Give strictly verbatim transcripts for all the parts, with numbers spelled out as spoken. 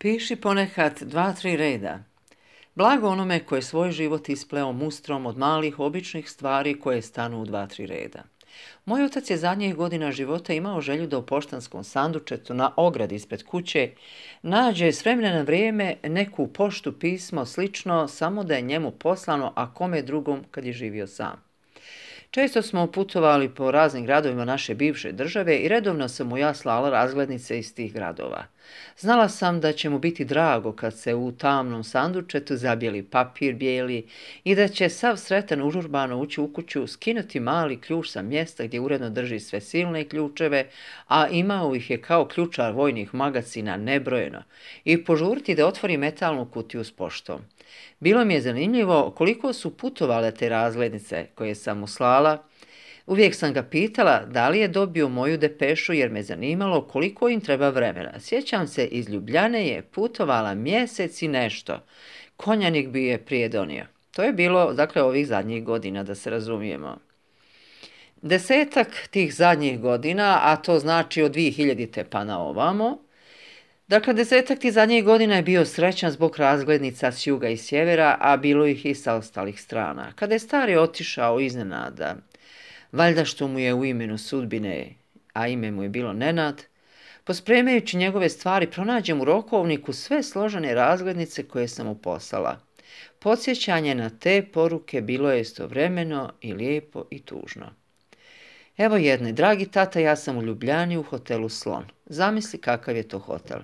Piši ponekad dva, tri reda. Blago onome koje svoj život ispleo mustrom od malih običnih stvari koje stanu u dva, tri reda. Moj otac je zadnjih godina života imao želju da u poštanskom sandučetu na ogradi ispred kuće nađe s vremena na vrijeme neku poštu, pismo, slično, samo da je njemu poslano, a kome drugom kad je živio sam. Često smo putovali po raznim gradovima naše bivše države i redovno sam mu ja slala razglednice iz tih gradova. Znala sam da će mu biti drago kad se u tamnom sandučetu zabijeli papir bijeli i da će sav sretan užurbano ući u kuću, skinuti mali ključ sa mjesta gdje uredno drži sve silne ključeve, a imao ih je kao ključar vojnih magacina nebrojeno, i požuriti da otvori metalnu kutiju s poštom. Bilo mi je zanimljivo koliko su putovale te razglednice koje sam mu slala. Uvijek sam ga pitala da li je dobio moju depešu jer me zanimalo koliko im treba vremena. Sjećam se, iz Ljubljane je putovala mjesec i nešto. Konjanik bi je prije donio. To je bilo, dakle, ovih zadnjih godina, da se razumijemo. Desetak tih zadnjih godina, a to znači od dvije hiljadite pa na ovamo, Dakle, desetak tih zadnjih godina je bio srećan zbog razglednica s juga i sjevera, a bilo ih i sa ostalih strana. Kada je stari otišao iznenada, valjda što mu je u imenu sudbine, a ime mu je bilo Nenad, pospremajući njegove stvari, pronađem u rokovniku sve složene razglednice koje sam mu poslala. Podsjećanje na te poruke bilo je istovremeno i lijepo i tužno. Evo jedne, dragi tata, ja sam u Ljubljani u hotelu Slon. Zamisli kakav je to hotel.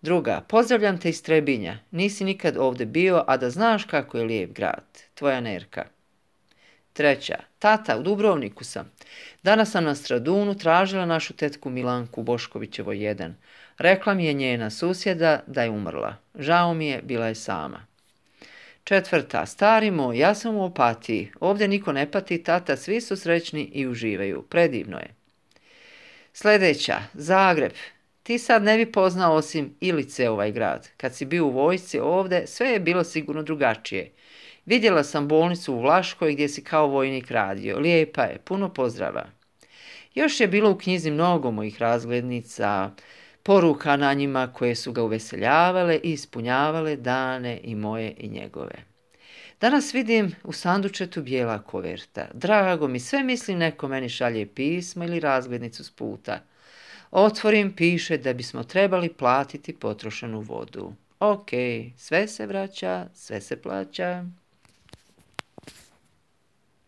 Druga, pozdravljam te iz Trebinja. Nisi nikad ovdje bio, a da znaš kako je lijep grad. Tvoja Nerka. Treća, tata, u Dubrovniku sam. Danas sam na Stradunu tražila našu tetku Milanku Boškovićevo jedan. Rekla mi je njena susjeda da je umrla. Žao mi je, bila je sama. Četvrta, stari moj, ja sam u Opatiji. Ovdje niko ne pati, tata, svi su srećni i uživaju. Predivno je. Sljedeća, Zagreb. Ti sad ne bi poznao osim Ilice ovaj grad. Kad si bio u vojsci ovdje, sve je bilo sigurno drugačije. Vidjela sam bolnicu u Vlaškoj gdje si kao vojnik radio. Lijepa je, puno pozdrava. Još je bilo u knjizi mnogo mojih razglednica, poruka na njima koje su ga uveseljavale i ispunjavale dane i moje i njegove. Danas vidim u sandučetu bijela koverta. Drago mi, sve mislim neko meni šalje pismo ili razglednicu s puta. Otvorim, piše da bismo trebali platiti potrošenu vodu. Ok, sve se vraća, sve se plaća.